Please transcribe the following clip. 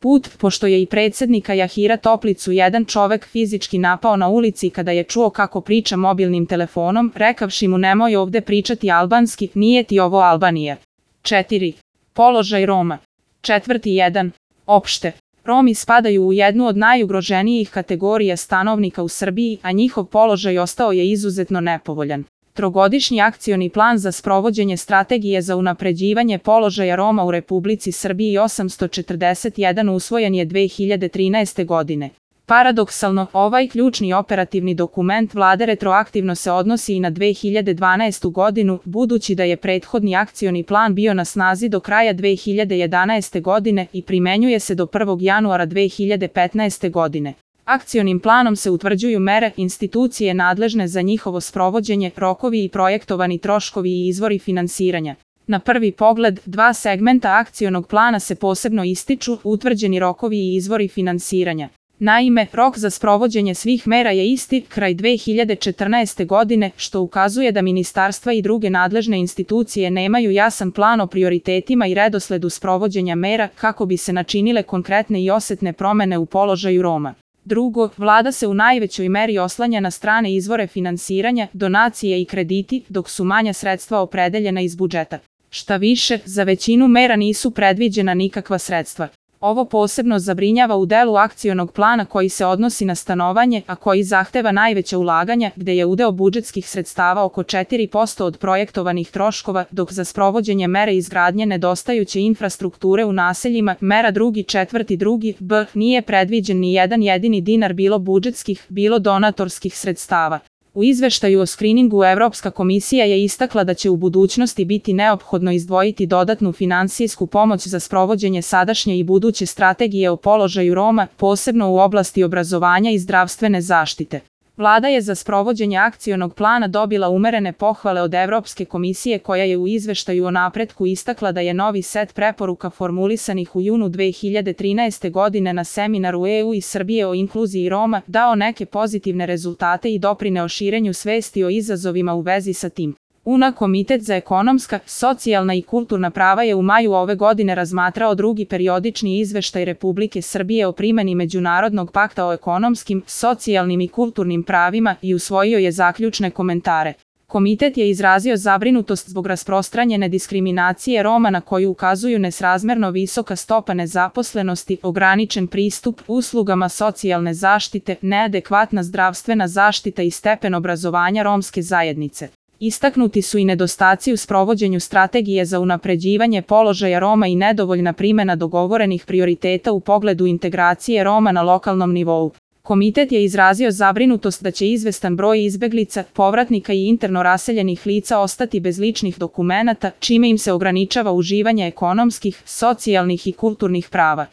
put, pošto je i predsjednika Jahira Toplicu jedan čovek fizički napao na ulici kada je čuo kako priča mobilnim telefonom, rekavši mu nemoj ovde pričati albanski, nije ti ovo Albanija. 4. Položaj Roma. 4.1. Opšte. Romi spadaju u jednu od najugroženijih kategorija stanovnika u Srbiji, a njihov položaj ostao je izuzetno nepovoljan. Trogodišnji akcioni plan za sprovođenje strategije za unapređivanje položaja Roma u Republici Srbiji 841 usvojen je 2013. godine. Paradoksalno, ovaj ključni operativni dokument vlade retroaktivno se odnosi i na 2012. godinu, budući da je prethodni akcioni plan bio na snazi do kraja 2011. godine i primenjuje se do 1. januara 2015. godine. Akcionim planom se utvrđuju mere, institucije nadležne za njihovo sprovođenje, rokovi i projektovani troškovi i izvori finansiranja. Na prvi pogled, dva segmenta akcionog plana se posebno ističu, utvrđeni rokovi i izvori finansiranja. Naime, rok za sprovođenje svih mera je isti, kraj 2014. godine, što ukazuje da ministarstva i druge nadležne institucije nemaju jasan plan o prioritetima i redosledu sprovođenja mera kako bi se načinile konkretne i osetne promene u položaju Roma. Drugo, vlada se u najvećoj meri oslanja na strane izvore finansiranja, donacije i krediti, dok su manja sredstva opredeljena iz budžeta. Šta više, za većinu mera nisu predviđena nikakva sredstva. Ovo posebno zabrinjava u delu akcionog plana koji se odnosi na stanovanje, a koji zahteva najveća ulaganja, gde je udeo budžetskih sredstava oko 4% od projektovanih troškova, dok za sprovođenje mere izgradnje nedostajuće infrastrukture u naseljima, mera 2.4.2. b. nije predviđen ni jedan jedini dinar bilo budžetskih, bilo donatorskih sredstava. U izveštaju o skriningu Evropska komisija je istakla da će u budućnosti biti neophodno izdvojiti dodatnu finansijsku pomoć za sprovođenje sadašnje i buduće strategije o položaju Roma, posebno u oblasti obrazovanja i zdravstvene zaštite. Vlada je za sprovođenje akcionog plana dobila umerene pohvale od Evropske komisije koja je u izveštaju o napretku istakla da je novi set preporuka formulisanih u junu 2013. godine na seminaru EU i Srbije o inkluziji Roma dao neke pozitivne rezultate i doprineo širenju svesti o izazovima u vezi sa tim. UNA Komitet za ekonomska, socijalna i kulturna prava je u maju ove godine razmatrao drugi periodični izveštaj Republike Srbije o primeni Međunarodnog pakta o ekonomskim, socijalnim i kulturnim pravima i usvojio je zaključne komentare. Komitet je izrazio zabrinutost zbog rasprostranjene diskriminacije Roma na koju ukazuju nesrazmerno visoka stopa nezaposlenosti, ograničen pristup uslugama socijalne zaštite, neadekvatna zdravstvena zaštita i stepen obrazovanja romske zajednice. Istaknuti su i nedostaci u sprovođenju strategije za unapređivanje položaja Roma i nedovoljna primena dogovorenih prioriteta u pogledu integracije Roma na lokalnom nivou. Komitet je izrazio zabrinutost da će izvestan broj izbeglica, povratnika i interno raseljenih lica ostati bez ličnih dokumenata, čime im se ograničava uživanje ekonomskih, socijalnih i kulturnih prava.